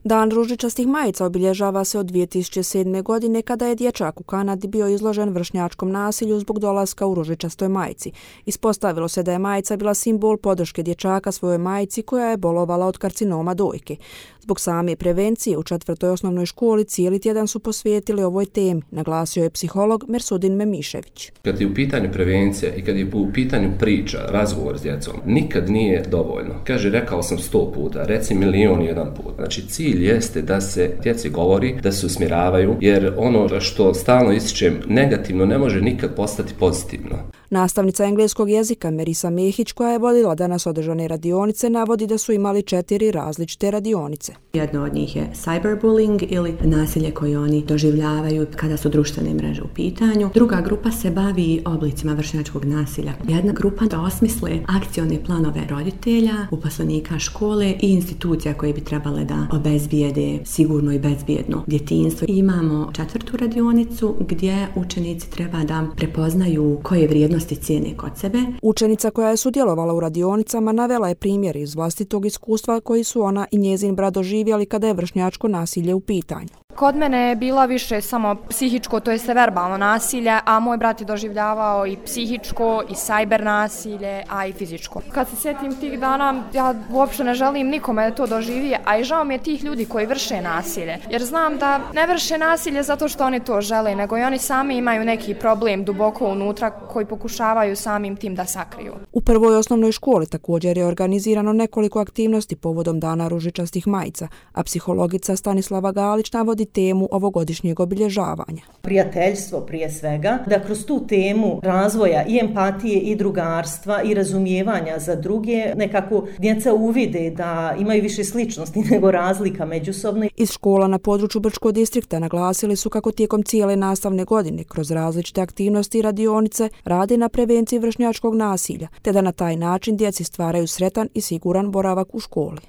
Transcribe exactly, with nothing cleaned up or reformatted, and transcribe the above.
Dan ružičastih majica obilježava se od dvije tisuće sedme. godine kada je dječak u Kanadi bio izložen vršnjačkom nasilju zbog dolaska u ružičastoj majici. Ispostavilo se da je majica bila simbol podrške dječaka svojoj majici koja je bolovala od karcinoma dojke. Zbog same prevencije u četvrtoj osnovnoj školi cijeli tjedan su posvetili ovoj temi, naglasio je psiholog Mersudin Memišević. Kad je u pitanju prevencija i kad je u pitanju priča, razgovor s djecom, nikad nije dovoljno. Kaže, rekao sam sto puta, reci milion jedan put. Znači, cilj jeste da se djeci govori, da se usmjeravaju, jer ono što stalno ističem negativno ne može nikad postati pozitivno. Nastavnica engleskog jezika Merisa Mehić, koja je vodila danas održane radionice, navodi da su imali četiri različite radionice. Jedno od njih je cyberbullying ili nasilje koje oni doživljavaju kada su društvene mreže u pitanju. Druga grupa se bavi oblicima vršnjačkog nasilja. Jedna grupa da osmisle akcione planove roditelja, uposlenika škole i institucija koje bi trebale da obezbijede sigurno i bezbjedno djetinjstvo. Imamo četvrtu radionicu gdje učenici treba da prepoznaju koje vrijednosti cijene kod sebe. Učenica koja je sudjelovala u radionicama navela je primjer iz vlastitog iskustva koji su ona i njezin brat doživjeli kada je vršnjačko nasilje u pitanju. Kod mene je bila više samo psihičko, to jest verbalno nasilje, a moj brat je doživljavao i psihičko, i sajber nasilje, a i fizičko. Kad se sjetim tih dana, ja uopšte ne želim nikome da to doživi, a i žao mi je tih ljudi koji vrše nasilje. Jer znam da ne vrše nasilje zato što oni to žele, nego i oni sami imaju neki problem duboko unutra koji pokušavaju samim tim da sakriju. U prvoj osnovnoj školi također je organizirano nekoliko aktivnosti povodom Dana ružičastih majica, a psihologica Stanislava Galić navodi temu ovogodišnjeg obilježavanja. Prijateljstvo prije svega, da kroz tu temu razvoja i empatije i drugarstva i razumijevanja za druge nekako djeca uvide da imaju više sličnosti nego razlika međusobno. Iz škola na području Brčkog distrikta naglasili su kako tijekom cijele nastavne godine kroz različite aktivnosti i radionice rade na prevenciji vršnjačkog nasilja, te da na taj način djeci stvaraju sretan i siguran boravak u školi.